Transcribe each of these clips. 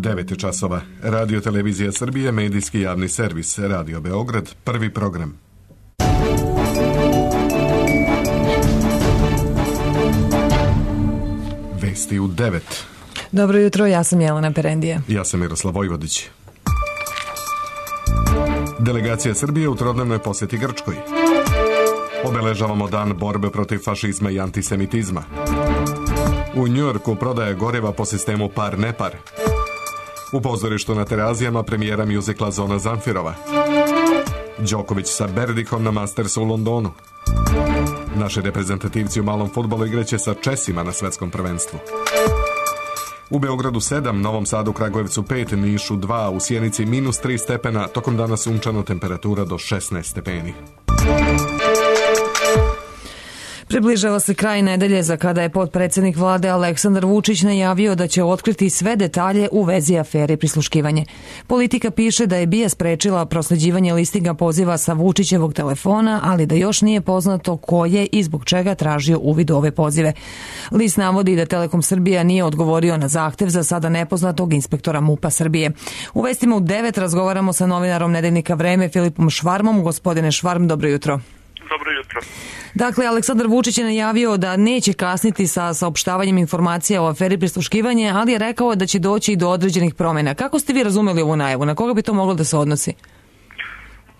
9 časova. Radio Televizija Srbije, medijski javni servis, Radio Beograd, prvi program. Vesti u 9. Dobro jutro, ja sam Jelena Perendija. Ja sam Miroslav Vojvodić. Delegacija Srbije u trodnevnoj posjeti Grčkoj. Obeležavamo dan borbe protiv fašizma i antisemitizma. U Njujorku prodaja goriva po sistemu par-nepar. U pozorištu na Terazijama premijera mjuzikla Zona Zamfirova. Đoković sa Berdihom na Mastersu u Londonu. Naši reprezentativci u malom fudbalu igraće sa Česima na svetskom prvenstvu. U Beogradu 7, Novom Sadu, Kragujevcu 5, Nišu 2, u Sjenici -3 stepena, tokom dana sunčano, temperatura do 16 stepeni. Približava se kraj nedelje za kada je potpredsjednik vlade Aleksandar Vučić najavio da će otkriti sve detalje u vezi afere prisluškivanje. Politika piše da je BIA sprečila prosleđivanje listinga poziva sa Vučićevog telefona, ali da još nije poznato ko je i zbog čega tražio uvid u ove pozive. List navodi da Telekom Srbija nije odgovorio na zahtev za sada nepoznatog inspektora MUP-a Srbije. U vestima u 9 razgovaramo sa novinarom Nedeljnika Vreme Filipom Švarmom. Gospodine Švarm, dobro jutro. Dobro jutro. Dakle, Aleksandar Vučić je najavio da neće kasniti sa saopštavanjem informacija o aferi prisluškivanje, ali je rekao da će doći i do određenih promjena. Kako ste vi razumeli ovu najavu? Na koga bi to moglo da se odnosi?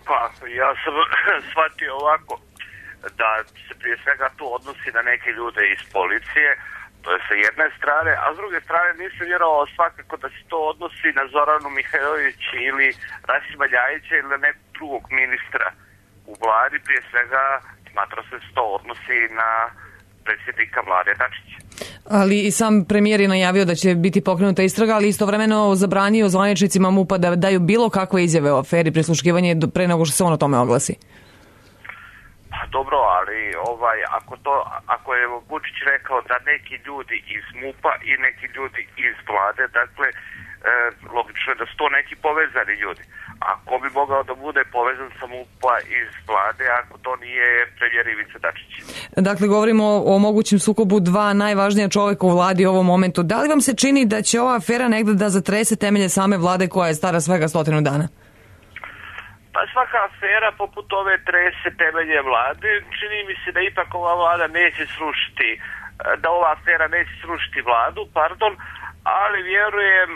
Pa, ja sam shvatio ovako, da se prije svega to odnosi na neke ljude iz policije, to je sa jedne strane, a s druge strane nisam vjerovao svakako da se to odnosi na Zoranu Mihajlović ili Rasima Ljajića ili na nekog drugog ministra u vladi. Prije svega smatrao se to odnosi na predsjednika vlade Dačića. Ali i sam premijer je najavio da će biti pokrenuta istraga, ali istovremeno zabranio zvaničnicima MUP-a da daju bilo kakve izjave o aferi prisluškivanje pre nego što se on o tome oglasi. Pa dobro, ali ako je Vučić rekao da neki ljudi iz MUP-a i neki ljudi iz vlade, dakle, logično je da su to neki povezani ljudi. A ko bi mogao da bude povezan sa MUP-a iz vlade ako to nije premijer Ivica Dačić? Dakle, govorimo o mogućem sukobu dva najvažnija čovjeka u vladi u ovom momentu. Da li vam se čini da će ova afera negdje da zatrese temelje same vlade koja je stara svega 100 dana? Pa svaka afera poput ove trese temelje vlade. Čini mi se da ipak ova vlada neće srušiti, da ova afera neće srušiti vladu, ali vjerujem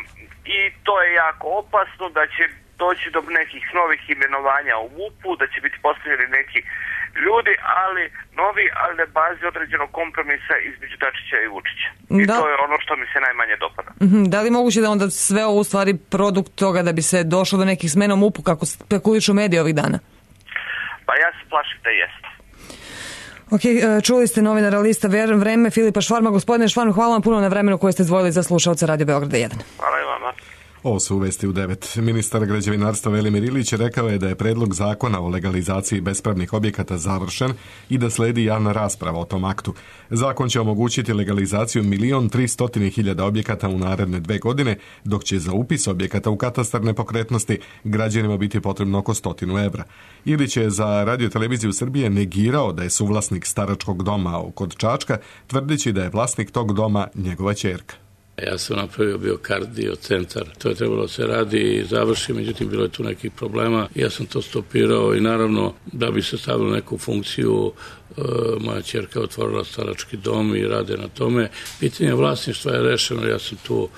i to je jako opasno da će doći do nekih novih imenovanja u MUP-u, da će biti postavljeni neki ljudi, ali na bazi određenog kompromisa između Dačića i Vučića. I to je ono što mi se najmanje dopada. Da li moguće da onda sve ovo u stvari produkt toga da bi se došlo do nekih smena u MUP-u kako spekulišu mediji ovih dana? Pa ja se plašim da jeste. Ok, čuli ste novinara lista Vreme Filipa Švarma. Gospodine Švarm, hvala vam puno na vremenu koje ste izdvojili za slušalce Radio Beograda 1. Hvala i vama. Ovo su uvesti u 9. Ministar građevinarstva Velimir Ilić rekao je da je predlog zakona o legalizaciji bespravnih objekata završen i da sledi javna rasprava o tom aktu. Zakon će omogućiti legalizaciju 1.300.000 objekata u naredne 2 godine, dok će za upis objekata u katastar nepokretnosti građanima biti potrebno oko 100 evra. Ilić je za Radio Televiziju Srbije negirao da je suvlasnik staračkog doma kod Čačka, tvrdeći da je vlasnik tog doma njegova ćerka. Ja sam napravio biokardio centar, to je trebalo da se radi i završi, međutim bilo je tu nekih problema. Ja sam to stopirao i naravno da bi se stavilo neku funkciju, moja ćerka otvorila starački dom i rade na tome. Pitanje vlasništva je rešeno, ja sam tu,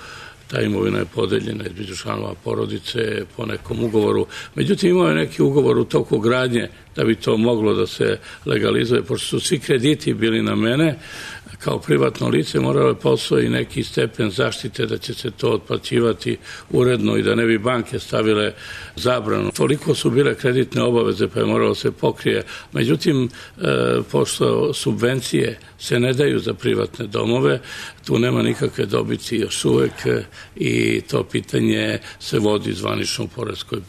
ta imovina je podeljena između članova porodice po nekom ugovoru. Međutim, imao je neki ugovor u toku gradnje da bi to moglo da se legalizuje, pošto su svi krediti bili na mene, kao privatno lice moralo postoji neki stepen zaštite da će se to otplaćivati uredno i da ne bi banke stavile zabranu. Toliko su bile kreditne obaveze pa je moralo se pokrije. Međutim, pošto subvencije se ne daju za privatne domove, tu nema nikakve dobiti još uvek i to pitanje se vodi zvanično u poreskoj.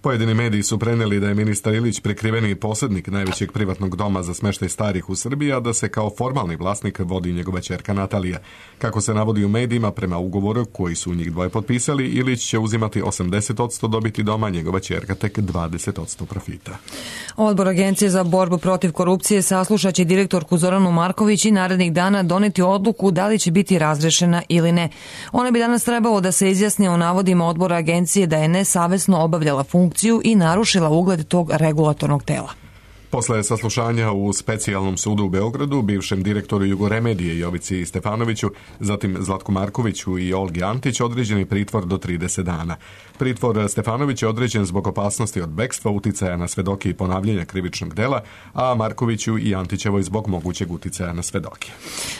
Pojedini mediji su prenijeli da je ministar Ilić prikriveni posjednik najvećeg privatnog doma za smještaj starih u Srbiji, a da se kao formalni vlasnik vodi njegova ćerka Natalija. Kako se navodi u medijima, prema ugovoru koji su njih dvoje potpisali, Ilić će uzimati 80% dobiti doma, njegova ćerka tek 20% profita. Odbor Agencije za borbu protiv korupcije saslušat će direktorku Zoranu Marković i narednih dana doneti odluku da li će biti razrešena ili ne. Ona bi danas trebalo da se izjasni o navodima odbora Agencije da je nesavesno obavljala funkciju i narušila ugled tog regulatornog tela. Posle saslušanja u specijalnom sudu u Beogradu, bivšem direktoru Jugoremedije Jovici Stefanoviću, zatim Zlatku Markoviću i Olgi Antić određen je pritvor do 30 dana. Pritvor Stefanović je određen zbog opasnosti od bekstva, uticaja na svedoke i ponavljanja krivičnog dela, a Markoviću i Antićevoj zbog mogućeg uticaja na svedoke.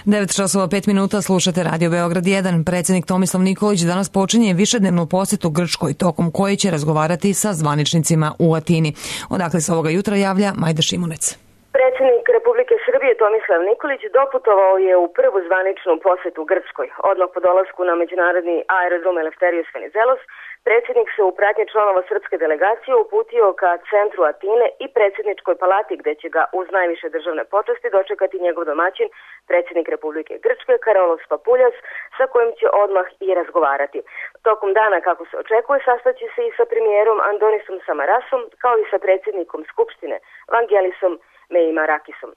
9:05 slušate Radio Beograd 1. Predsjednik Tomislav Nikolić danas počinje višednevnu posjetu Grčkoj, tokom koje će razgovarati sa zvaničnicima u Atini. Odakle se ovoga jutra javlja Majda Šimunec. Predsjednik Republike Srbije Tomislav Nikolić doputovao je u prvu zvaničnu posjetu Grčkoj. Odmah po dolasku na međunarodni aerodrom Eleftherios Venizelos, predsjednik se u pratnji članova srpske delegacije uputio ka centru Atine i predsjedničkoj palati, gdje će ga uz najviše državne počasti dočekati njegov domaćin, predsjednik Republike Grčke Karolos Papuljas, sa kojim će odmah i razgovarati. Tokom dana, kako se očekuje, sastaće se i sa premijerom Andonisom Samarasom, kao i sa predsjednikom Skupštine Vangelisom Meimarakisom.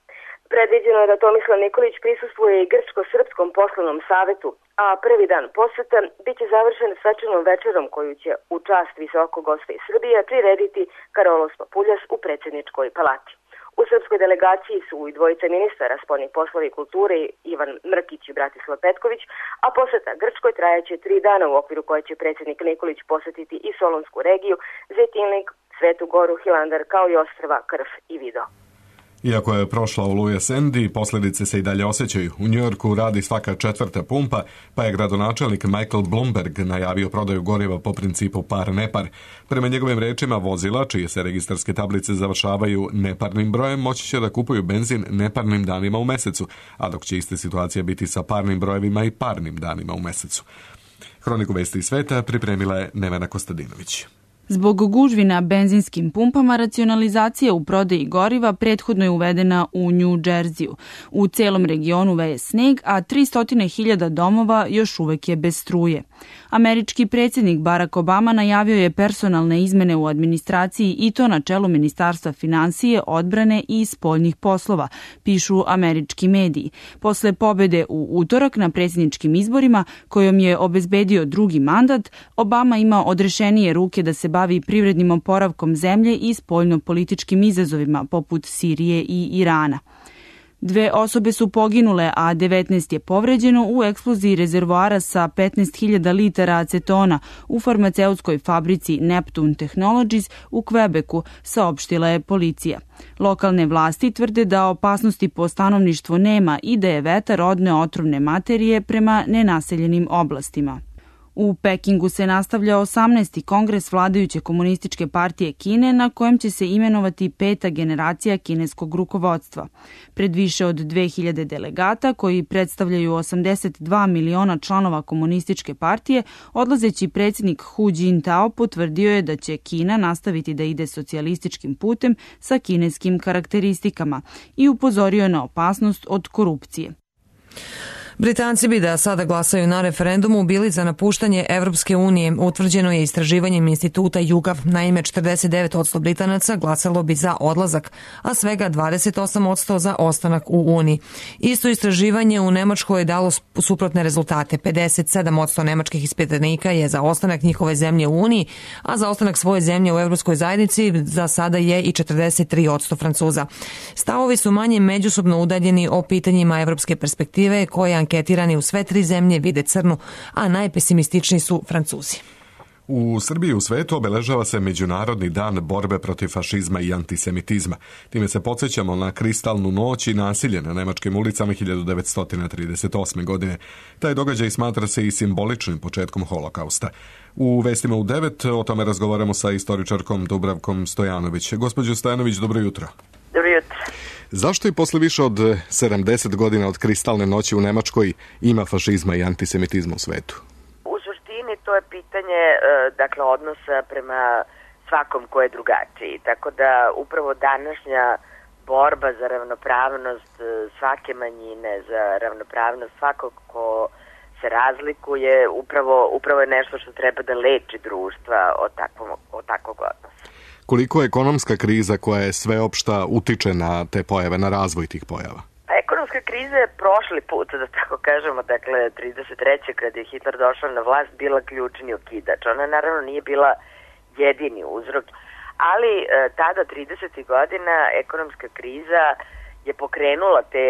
Predviđeno je da Tomislav Nikolić prisustvuje i grčko-srpskom poslovnom savetu, a prvi dan posjeta biće završen svečanom večerom koju će u čast visokog gosta iz Srbije prirediti Karolos Papuljas u predsjedničkoj palati. U srpskoj delegaciji su i dvojica ministara spoljnih poslova i kulture Ivan Mrkić i Bratislav Petković, a posjeta Grčkoj trajaće 3 dana u okviru koje će predsjednik Nikolić posjetiti i Solonsku regiju, Zejtinlik, Svetu Goru, Hilandar, kao i ostrva Krf i Vido. Iako je prošla oluja Sandy, posljedice se i dalje osjećaju. U Njujorku radi svaka 4. pumpa, pa je gradonačelnik Michael Bloomberg najavio prodaju goriva po principu par-nepar. Prema njegovim rečima, vozila, čije se registarske tablice završavaju neparnim brojem, moći će da kupuju benzin neparnim danima u mesecu, a dok će ista situacija biti sa parnim brojevima i parnim danima u mesecu. Hroniku vesti iz sveta pripremila je Nevena Kostadinović. Zbog gužvi na benzinskim pumpama, racionalizacija u prodaji goriva prethodno je uvedena u New Jersey-u. U celom regionu veje sneg, a 300.000 domova još uvek je bez struje. Američki predsjednik Barack Obama najavio je personalne izmene u administraciji i to na čelu Ministarstva finansije, odbrane i spoljnih poslova, pišu američki mediji. Posle pobede u utorak na predsjedničkim izborima, kojom je obezbedio drugi mandat, Obama ima odrešenije ruke da se bavi privrednim oporavkom zemlje i spoljno-političkim izazovima poput Sirije i Irana. 2 osobe su poginule, a 19 je povređeno u eksploziji rezervoara sa 15.000 litara acetona u farmaceutskoj fabrici Neptune Technologies u Quebecu, saopštila je policija. Lokalne vlasti tvrde da opasnosti po stanovništvo nema i da je vetar odneo otrovne materije prema nenaseljenim oblastima. U Pekingu se nastavlja 18. kongres vladajuće komunističke partije Kine, na kojem će se imenovati 5. generacija kineskog rukovodstva. Pred više od 2000 delegata, koji predstavljaju 82 miliona članova komunističke partije, odlazeći predsjednik Hu Jintao potvrdio je da će Kina nastaviti da ide socijalističkim putem sa kineskim karakteristikama i upozorio na opasnost od korupcije. Britanci bi da sada glasaju na referendumu bili za napuštanje Evropske unije, utvrđeno je istraživanjem instituta YouGov. Naime, 49% Britanaca glasalo bi za odlazak, a svega 28% za ostanak u Uniji. Isto istraživanje u Nemačkoj je dalo suprotne rezultate. 57% nemačkih ispitanika je za ostanak njihove zemlje u Uniji, a za ostanak svoje zemlje u Evropskoj zajednici za sada je i 43% Francuza. Stavovi su manje međusobno udaljeni o pitanjima evropske perspektive, koje anketirani u sve 3 zemlje vide crnu, a najpesimističniji su Francuzi. U Srbiji i u svetu obeležava se Međunarodni dan borbe protiv fašizma i antisemitizma. Time se podsjećamo na kristalnu noć i nasilje na nemačkim ulicama 1938. godine. Taj događaj smatra se i simboličnim početkom holokausta. U vestima u 9 o tome razgovaramo sa istoričarkom Dubravkom Stojanović. Gospođo Stojanović, dobro jutro. Dobro jutro. Zašto i posle više od 70 godina od kristalne noći u Nemačkoj ima fašizma i antisemitizma u svetu? U suštini to je pitanje odnosa prema svakom ko je drugačiji. Tako da upravo današnja borba za ravnopravnost svake manjine, za ravnopravnost svakog ko se razlikuje, upravo je nešto što treba da leči društva od takvog odnosa. Koliko ekonomska kriza koja je sveopšta utiče na te pojave, na razvoj tih pojava? Ekonomska kriza je prošli put, da tako kažemo, dakle 33. kad je Hitler došao na vlast, bila ključni okidač. Ona naravno nije bila jedini uzrok, ali tada 30. godina ekonomska kriza je pokrenula te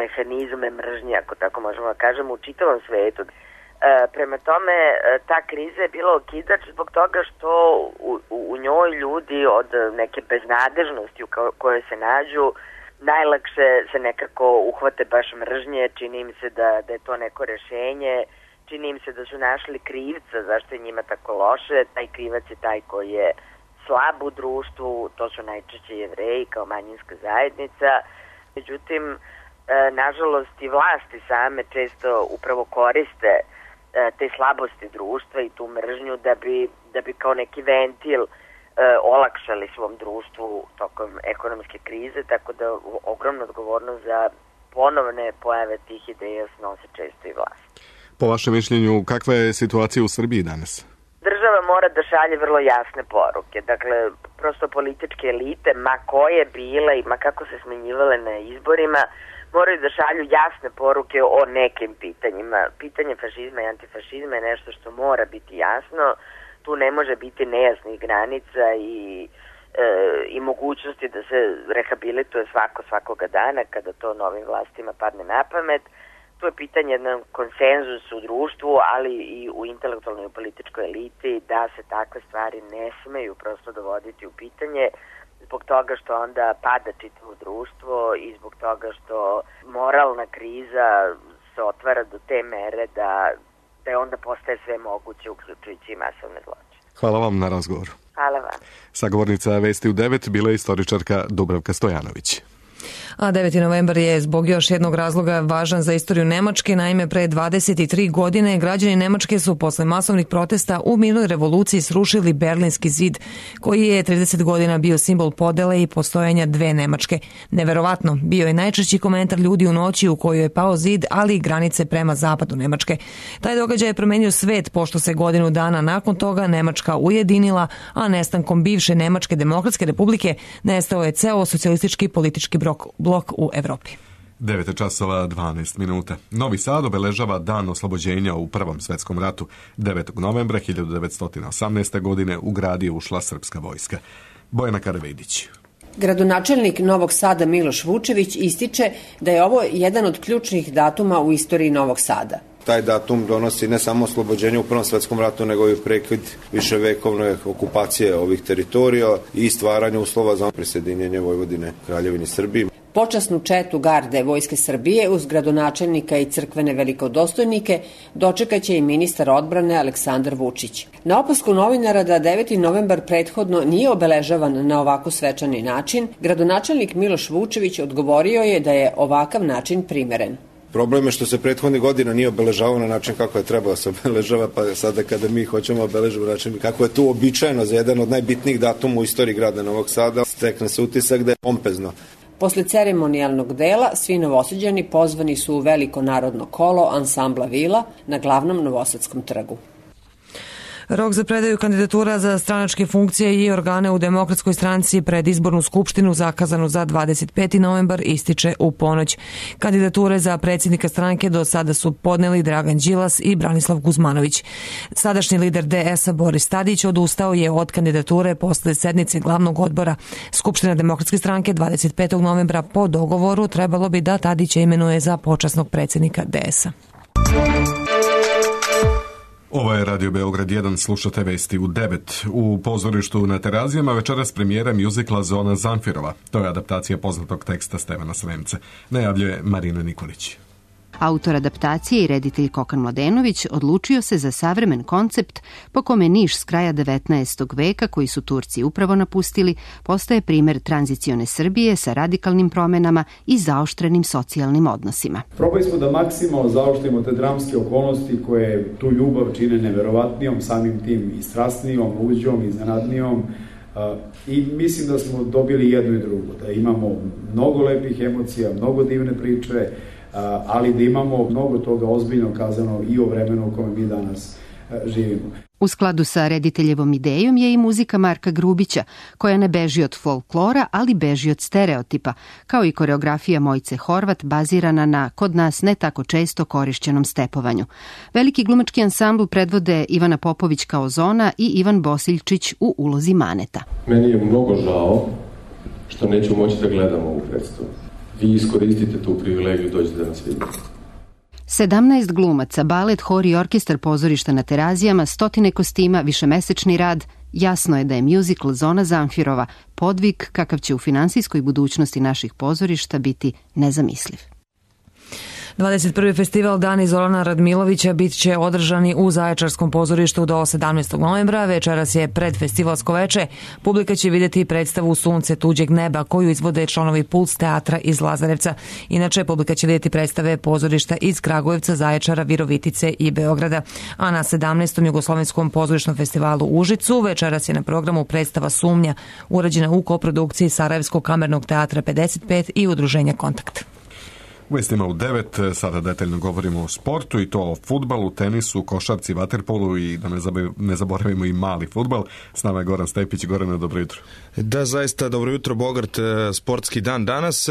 mehanizme mržnje, ako tako možemo da kažemo, u čitavom svetu. Prema tome, ta kriza je bila okidač zbog toga što u njoj ljudi od neke beznadežnosti u kojoj se nađu najlakše se nekako uhvate baš mržnje, čini im se da je to neko rešenje, čini im se da su našli krivca zašto je njima tako loše, taj krivac je taj koji je slab u društvu, to su najčešće Jevreji kao manjinska zajednica. Međutim, nažalost i vlasti same često upravo koriste te slabosti društva i tu mržnju da bi kao neki ventil olakšali svom društvu tokom ekonomske krize, tako da ogromnu odgovornost za ponovne pojave tih ideja snose često i vlast. Po vašem mišljenju, kakva je situacija u Srbiji danas? Država mora da šalje vrlo jasne poruke. Dakle, prosto političke elite, ma koje bile i ma kako se smenjivale na izborima, moraju da šalju jasne poruke o nekim pitanjima. Pitanje fašizma i antifašizma je nešto što mora biti jasno. Tu ne može biti nejasnih granica i mogućnosti da se rehabilituje svakoga dana kada to novim vlastima padne na pamet. To je pitanje jednog konsenzusa u društvu, ali i u intelektualnoj i političkoj eliti, da se takve stvari ne smeju prosto dovoditi u pitanje, zbog toga što onda pada čitavo društvo i zbog toga što moralna kriza se otvara do te mere da onda postaje sve moguće, uključujući i masovne zločine. Hvala vam na razgovoru. Hvala vam. Sagovornica Vesti u 9 bila je istoričarka Dubravka Stojanović. A 9. novembar je zbog još jednog razloga važan za istoriju Nemačke. Naime, pre 23 godine građani Nemačke su posle masovnih protesta u mirnoj revoluciji srušili Berlinski zid, koji je 30 godina bio simbol podele i postojanja dve Nemačke. Neverovatno, bio je najčešći komentar ljudi u noći u kojoj je pao zid, ali i granice prema zapadu Nemačke. Taj događaj je promenio svet, pošto se godinu dana nakon toga Nemačka ujedinila, a nestankom bivše Nemačke demokratske republike nestao je ceo socijalistički politički blok u Evropi. 9:12. Novi Sad obeležava dan oslobođenja u Prvom svetskom ratu. 9. novembra 1918. godine u grad je ušla srpska vojska. Bojana Karavidić. Gradonačelnik Novog Sada Miloš Vučević ističe da je ovo jedan od ključnih datuma u istoriji Novog Sada. Taj datum donosi ne samo oslobođenje u Prvom svetskom ratu, nego i prekid viševekovne okupacije ovih teritorija i stvaranje uslova za prisjedinjenje Vojvodine Kraljevini Srbiji. Počasnu četu garde Vojske Srbije uz gradonačelnika i crkvene velikodostojnike dočekaće i ministar odbrane Aleksandar Vučić. Na opasku novinara da 9. novembar prethodno nije obeležavan na ovako svečani način, gradonačelnik Miloš Vučević odgovorio je da je ovakav način primeren. Problem je što se prethodnih godina nije obeležavao na način kako je trebalo se obeležava, pa sada kada mi hoćemo obeležiti način kako je to uobičajeno za jedan od najbitnijih datuma u istoriji grada Novog Sada, stekne se utisak da je pompezno. Posle ceremonijalnog dela, svi Novosađani pozvani su u veliko narodno kolo ansambla Vila na glavnom Novosadskom trgu. Rok za predaju kandidatura za stranačke funkcije i organe u Demokratskoj stranci pred izbornu skupštinu zakazanu za 25. novembar ističe u ponoć. Kandidature za predsjednika stranke do sada su podneli Dragan Đilas i Branislav Guzmanović. Sadašnji lider DS-a Boris Tadić odustao je od kandidature posle sednice glavnog odbora. Skupština Demokratske stranke 25. novembra po dogovoru trebalo bi da Tadića imenuje za počasnog predsjednika DS-a. Ovo je Radio Beograd 1, slušate Vesti u 9. U pozorištu na Terazijama večeras premijera mjuzikla Zona Zamfirova. To je adaptacija poznatog teksta Stevana Sremca. Najavljuje Marina Nikolić. Autor adaptacije i reditelj Kokan Mladenović odlučio se za savremen koncept po kome Niš s kraja 19. veka, koji su Turci upravo napustili, postaje primer tranzicione Srbije sa radikalnim promenama i zaoštrenim socijalnim odnosima. Probali smo da maksimalno zaoštrimo te dramske okolnosti koje tu ljubav čine neverovatnijom, samim tim i strasnijom, luđom, iznenadnijom, i mislim da smo dobili jedno i drugo, da imamo mnogo lepih emocija, mnogo divne priče, ali da imamo mnogo toga ozbiljno kazano i o vremenu u kome mi danas živimo. U skladu sa rediteljevom idejom je i muzika Marka Grubića, koja ne beži od folklora, ali beži od stereotipa, kao i koreografija Mojce Horvat bazirana na kod nas ne tako često korišćenom stepovanju. Veliki glumački ansambl predvode Ivana Popović kao Zona i Ivan Bosiljčić u ulozi Maneta. Meni je mnogo žao što neću moći da gledam ovu predstavu. Vi iskoristite tu privilegiju, dođete da nas vidite. 17 glumaca, balet, hor i orkestar pozorišta na Terazijama, 100 kostima, višemesečni rad. Jasno je da je mjuzikl Zona Zamfirova podvig kakav će u finansijskoj budućnosti naših pozorišta biti nezamisliv. 21. festival Dani Zorana Radmilovića bit će održani u Zaječarskom pozorištu do 17. novembra. Večeras je predfestivalsko veče. Publika će vidjeti predstavu Sunce tuđeg neba koju izvode članovi Puls teatra iz Lazarevca. Inače, publika će vidjeti predstave pozorišta iz Kragujevca, Zaječara, Virovitice i Beograda. A na 17. Jugoslovenskom pozorišnom festivalu u Užicu večeras je na programu predstava Sumnja, urađena u koprodukciji Sarajevskog kamernog teatra 55 i udruženja Kontakt. U vestima u 9 sada detaljno govorimo o sportu, i to o fudbalu, tenisu, košarci, vaterpolu i da ne zaboravimo i mali fudbal. S nama je Goran Stepić. Gorane, dobro jutro. Da, zaista dobro jutro, Bogart, sportski dan danas.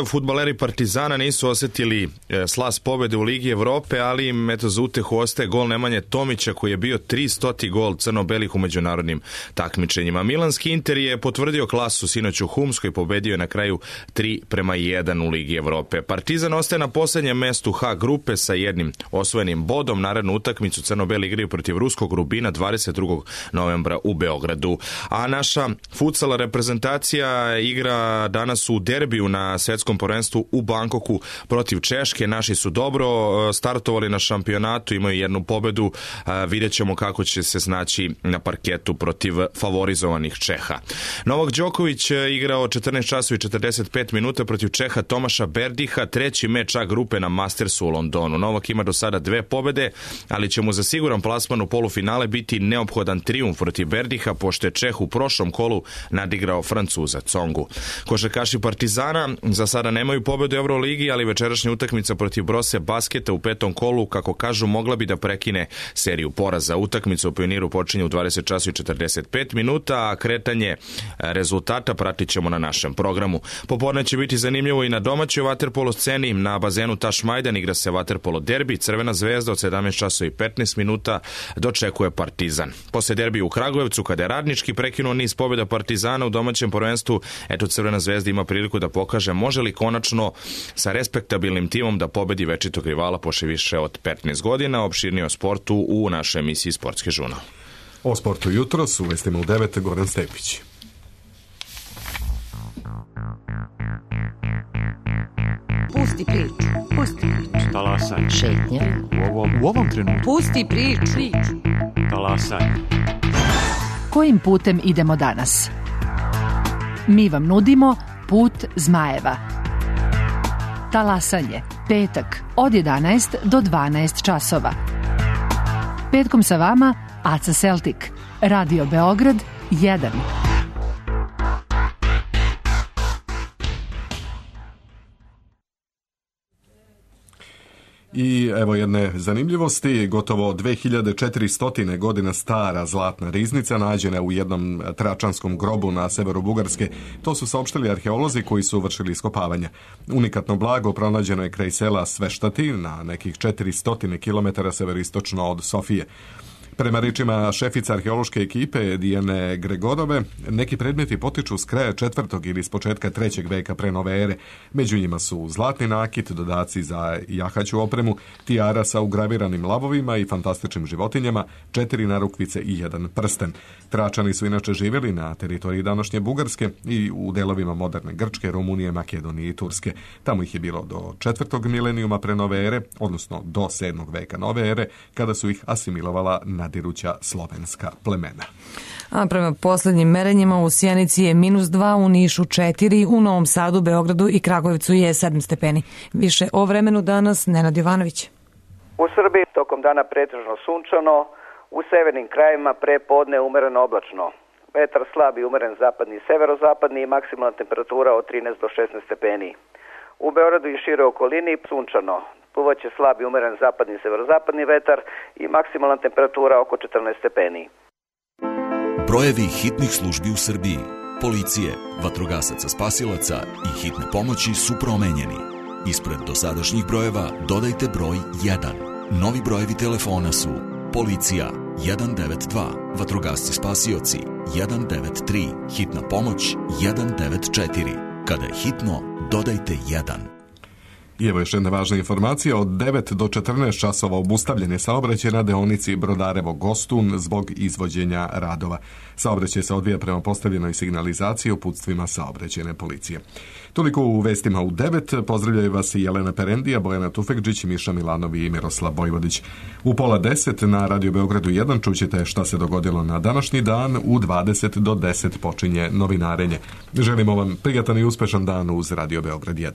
Fudbaleri Partizana nisu osjetili slas pobjede u Ligi Evrope, ali im za utehu ostaje gol Nemanje Tomića koji je bio 300. gol crno-belih u međunarodnim takmičenjima. Milanski Inter je potvrdio klasu sinoć u Humskoj i pobedio je na kraju 3-1 u Ligi Evrope. Partizan ostaje na posljednjem mestu H grupe sa jednim osvojenim bodom. Narednu utakmicu crno-beli igraju protiv ruskog Rubina 22. novembra u Beogradu. A naša futsal reprezentacija igra danas u derbiju na svjetskom prvenstvu u Bangkoku protiv Češke. Naši su dobro startovali na šampionatu, imaju jednu pobedu. Vidjet ćemo kako će se snaći na parketu protiv favorizovanih Čeha. Novak Đoković igrao 14 časova i 45 minuta protiv Čeha Tomaša Berdiha, treći meč A grupe na Mastersu u Londonu. Novak ima do sada 2 pobede, ali će mu za siguran plasman u polufinale biti neophodan trijumf protiv Berdiha, pošto je Čeh u prošlom kolu nadigrao Francuza Congu. Košarkaši Partizana za sada nemaju pobedu u Euroligi, ali večerašnja utakmica protiv Brose Basketa u 5. kolu, kako kažu, mogla bi da prekine seriju poraza. Utakmica u Pioniru počinje u 20 časova i 45 minuta, a kretanje rezultata pratit ćemo na našem programu. Popodne će biti zanimljivo i na domaćoj vaterpolo sceni. Na bazenu Taš Majdan igra se vaterpolo derbi. Crvena zvezda od 17 časova i 15 minuta dočekuje Partizan. Posle derbi u Kragujevcu, kada je Radnički prekinuo niz pobjeda Partizana u domaćem prvenstvu, eto Crvena zvezda ima priliku da pokaže može li konačno sa respektabilnim timom da pobedi večitog rivala posle više od 15 godina. Opširnije o sportu u našoj emisiji Sportski žurnal. O sportu jutros u vestima u 9 Goran Stepić. Pusti priču. Pusti priču. Talasaj. Šetnja. U ovom trenutku. Pusti priču. Talasaj. Kojim putem idemo danas? Mi vam nudimo Put zmajeva. Talasanje. Petak od 11 do 12 časova. Petkom sa vama Aca Celtic. Radio Beograd 1. I evo jedne zanimljivosti, gotovo 2400 godina stara zlatna riznica nađena u jednom tračanskom grobu na severu Bugarske. To su saopštili arheolozi koji su vršili iskopavanja. Unikatno blago pronađeno je kraj sela Sveštati na nekih 400 km severistočno od Sofije. Prema rečima šefica arheološke ekipe Dijane Gregorove, neki predmeti potiču s kraja 4. ili s početka 3. veka pre nove ere. Među njima su zlatni nakit, dodaci za jahaću opremu, tijara sa ugraviranim lavovima i fantastičnim životinjama, 4 narukvice i 1 prsten. Tračani su inače živjeli na teritoriji današnje Bugarske i u delovima moderne Grčke, Rumunije, Makedonije i Turske. Tamo ih je bilo do 4. milenijuma pre nove ere, odnosno do 7. veka nove ere, kada su ih asimilovala nadiruća slovenska plemena. A prema posljednjim merenjima u Sjenici je -2, u Nišu 4, u Novom Sadu, Beogradu i Kragujevcu je 7 stepeni. Više o vremenu danas Nenad Jovanović. U Srbiji tokom dana pretežno sunčano, u severnim krajevima pre podne umereno oblačno. Vetar slab i umeren zapadni i severozapadni i maksimalna temperatura od 13 do 16 stepeni. U Beogradu i šire okolini sunčano. Puvaće slab i umeren zapadni i severozapadni vetar i maksimalna temperatura oko 14 stepeni. Brojevi hitnih službi u Srbiji, policije, vatrogasaca spasilaca i hitne pomoći su promenjeni. Ispred dosadašnjih brojeva dodajte broj 1. Novi brojevi telefona su policija 192, vatrogasci spasioci 193, hitna pomoć 194. Kada je hitno, dodajte 1. I evo još jedna važna informacija. Od 9 do 14 časova obustavljen je saobraćaj na deonici Brodarevo-Gostun zbog izvođenja radova. Saobraćaj se odvija prema postavljenoj signalizaciji uputstvima saobraćajne policije. Toliko u vestima u 9. Pozdravljaju vas i Jelena Perendija, Bojana Tufekđić, Miša Milanovi i Miroslav Bojvodić. U 9:30 na Radio Beogradu 1 čućete šta se dogodilo na današnji dan. U 20 do 10 počinje novinarenje. Želimo vam prijatan i uspešan dan uz Radio Beograd 1.